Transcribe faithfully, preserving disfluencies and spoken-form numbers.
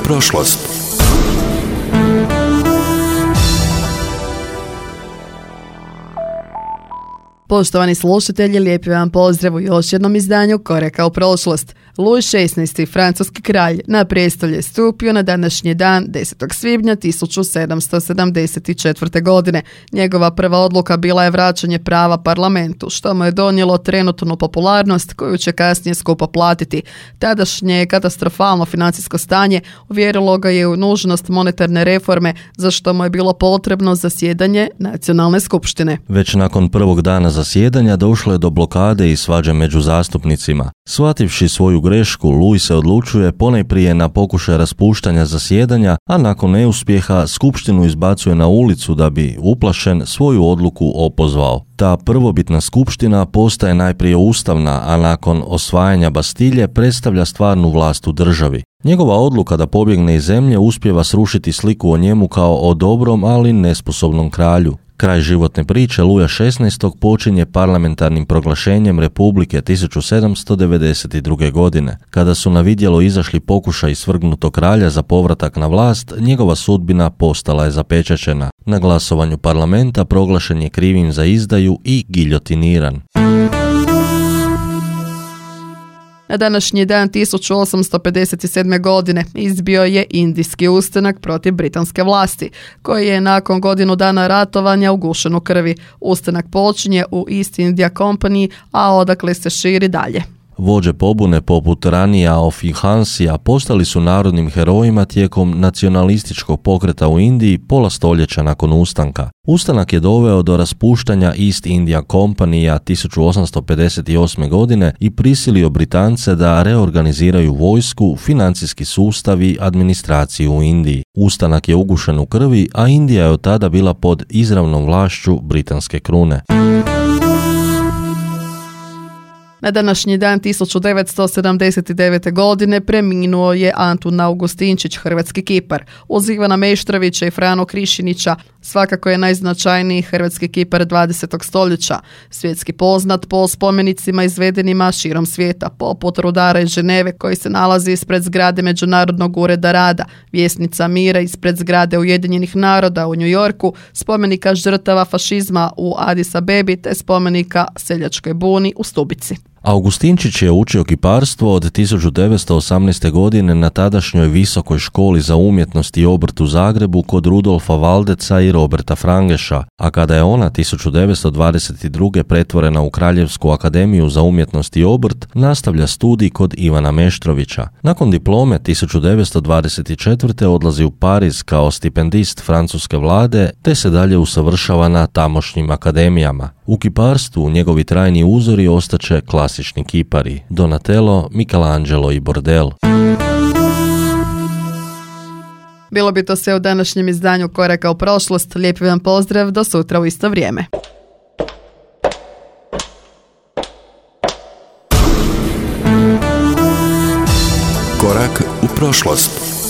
prošlost. Poštovani slušatelji, lijepi vam pozdrav u još jednom izdanju Koraka u prošlost. Luj šesnaesti. francuski kralj na prijestolje je stupio na današnji dan desetog svibnja tisuću sedamsto sedamdeset četvrte. godine. Njegova prva odluka bila je vraćanje prava parlamentu, što mu je donijelo trenutnu popularnost koju će kasnije skupo platiti. Tadašnje katastrofalno financijsko stanje uvjerilo ga je u nužnost monetarne reforme, za što mu je bilo potrebno zasjedanje nacionalne skupštine. Već nakon prvog dana zasjedanja došlo je do blokade i svađe među zastupnicima. Shvativši svoju grešku, Louis se odlučuje ponajprije na pokušaj raspuštanja zasjedanja, a nakon neuspjeha skupštinu izbacuje na ulicu da bi, uplašen, svoju odluku opozvao. Ta prvobitna skupština postaje najprije ustavna, a nakon osvajanja Bastilje predstavlja stvarnu vlast u državi. Njegova odluka da pobjegne iz zemlje uspijeva srušiti sliku o njemu kao o dobrom, ali nesposobnom kralju. Kraj životne priče Luja šesnaestog počinje parlamentarnim proglašenjem Republike tisuću sedamsto devedeset druge. godine. Kada su na vidjelo izašli pokušaj svrgnutog kralja za povratak na vlast, njegova sudbina postala je zapečaćena. Na glasovanju parlamenta proglašen je krivim za izdaju i giljotiniran. Na današnji dan tisuću osamsto pedeset sedme. godine izbio je indijski ustanak protiv britanske vlasti, koji je nakon godinu dana ratovanja ugušen u krvi. Ustanak počinje u East India Company, a odakle se širi dalje. Vođe pobune poput Ranija Ofihansija postali su narodnim herojima tijekom nacionalističkog pokreta u Indiji pola stoljeća nakon ustanka. Ustanak je doveo do raspuštanja East India Company tisuću osamsto pedeset osme. godine i prisilio Britance da reorganiziraju vojsku, financijski sustav i administraciju u Indiji. Ustanak je ugušen u krvi, a Indija je od tada bila pod izravnom vlašću britanske krune. Na današnji dan tisuću devetsto sedamdeset devete. godine preminuo je Antun Augustinčić, hrvatski kipar. Uz Ivana Meštrovića i Franu Krišinića svakako je najznačajniji hrvatski kipar dvadesetog stoljeća. Svjetski poznat po spomenicima izvedenima širom svijeta, poput Rudara iz Ženeve koji se nalazi ispred zgrade Međunarodnog ureda rada, Vjesnica mira ispred zgrade Ujedinjenih naroda u New Yorku, spomenika žrtava fašizma u Addis Abebi te spomenika seljačkoj buni u Stubici. Augustinčić je učio kiparstvo od tisuću devetsto osamnaeste. godine na tadašnjoj Visokoj školi za umjetnost i obrt u Zagrebu kod Rudolfa Valdeca i Roberta Frangeša, a kada je ona tisuću devetsto dvadeset druge. pretvorena u Kraljevsku akademiju za umjetnost i obrt, nastavlja studij kod Ivana Meštrovića. Nakon diplome tisuću devetsto dvadeset četvrte. odlazi u Pariz kao stipendist francuske vlade, te se dalje usavršava na tamošnjim akademijama. U kiparstvu njegovi trajni uzori ostaće klasični kipari, Donatello, Michelangelo i Bordel. Bilo bi to sve u današnjem izdanju Koraka u prošlost. Lijepi vam pozdrav, do sutra u isto vrijeme. Korak u prošlost.